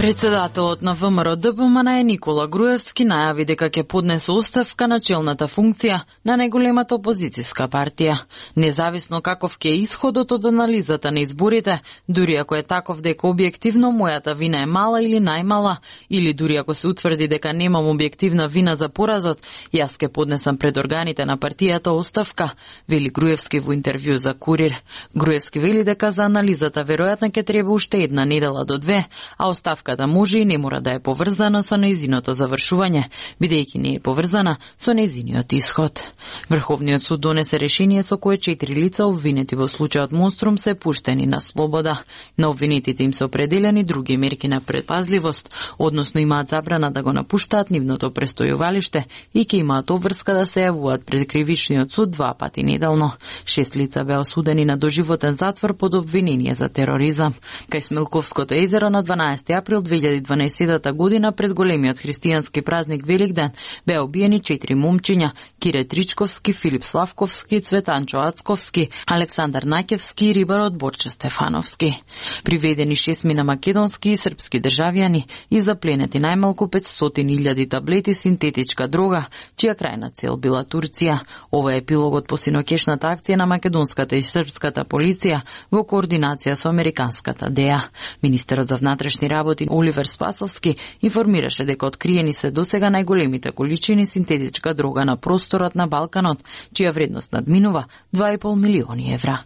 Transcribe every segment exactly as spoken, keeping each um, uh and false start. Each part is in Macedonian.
Председателот на ВМРО Д П М Н Е Никола Груевски најави дека ќе поднесе оставка на челната функција на најголемата опозицијска партија. Независно каков ќе е исходот од анализата на изборите, дури ако е таков дека објективно мојата вина е мала или најмала, или дури ако се утврди дека немам објективна вина за поразот, јас ќе поднесам пред органите на партијата оставка, вели Груевски во интервју за Курир. Груевски вели дека за анализата веројатно ќе треба уште една недела до две, а оставката може и не мора да е поврзана со нејзиното завршување, бидејќи не е поврзана со нејзиниот исход. Врховниот суд донесе решение со кое четири лица обвинети во случајот Монструм се пуштени на слобода. На обвинетите им се определени други мерки на предпазливост, односно имаат забрана да го напуштаат нивното престојувалиште и ќе имаат обврска да се јавуваат пред кривичниот суд два пати неделно. Шест лица беа осудени на доживотен затвор под обвинение за тероризам. Кај Смилковското езеро на дванаесети април две илјади и дванаесета година пред големиот христијански празник Великден беа убиени четири момчиња: Кире Тричковски, Филип Славковски, Цветанчо Ацковски, Александар Наќевски и рибарот Борче Стефановски. Приведени шесмина македонски и српски државјани и запленети најмалку петстотини илјади таблети синтетичка дрога, чија крајна цел била Турција. Ова е епилогот по синокешната акција на македонската и српската полиција во координација со американската Д E A. Министерот за внатрешни работи Оливер Спасовски информираше дека откриени се досега најголемите количини синтетичка дрога на просторот на Балканот, чија вредност надминува два и пол милиони евра.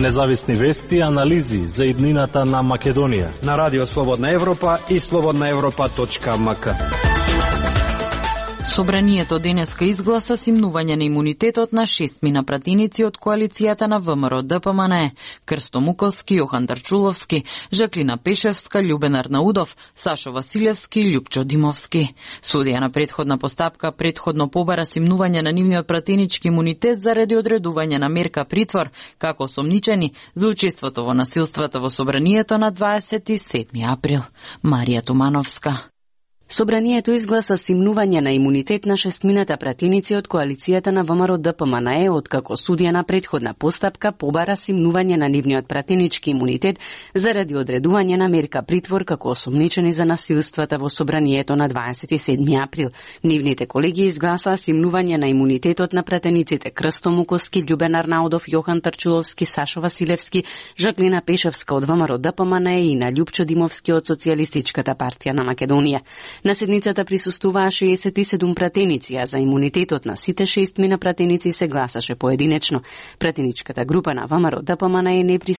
Независни вести и анализи за иднината на Македонија на Радио Слободна Европа и слободна европа точка м к. Собранието денеска изгласа симнување на имунитетот на шестмина пратеници од коалицијата на ВМРО Д П М Н Е: Крсто Муколски, Јохан Тарчуловски, Жаклина Пешевска, Љубен Арнаудов, Сашо Василевски и Љупчо Димовски. Судија на претходна постапка претходно побара симнување на нивниот пратенички имунитет заради одредување на мерка притвор како осомничени за учеството во насилствата во собранието на дваесет и седми април. Марија Тумановска. Собранието изгласа симнување на имунитет на шестмината пратеници од коалицијата на ВМРО Д П М Н Е, откако судија на претходна постапка побара симнување на нивниот пратенички имунитет заради одредување на мерка притвор како осомничени за насилствата во собранието на дваесет и седми април. Нивните колеги изгласаа симнување на имунитетот на пратениците Крсто Муколски, Љубен Арнаудов, Јохан Тарчуловски, Сашо Василевски, Жаклина Пешевска од ВМРО Д П М Н Е и на Љупчо Димовски од Социјалистичката партија на Македонија. На седницата присуствуваа шеесет и седум пратеници, а за имунитетот на сите шестмина пратеници се гласаше поединечно. Пратеничката група на ВМРО Д П М Н Е не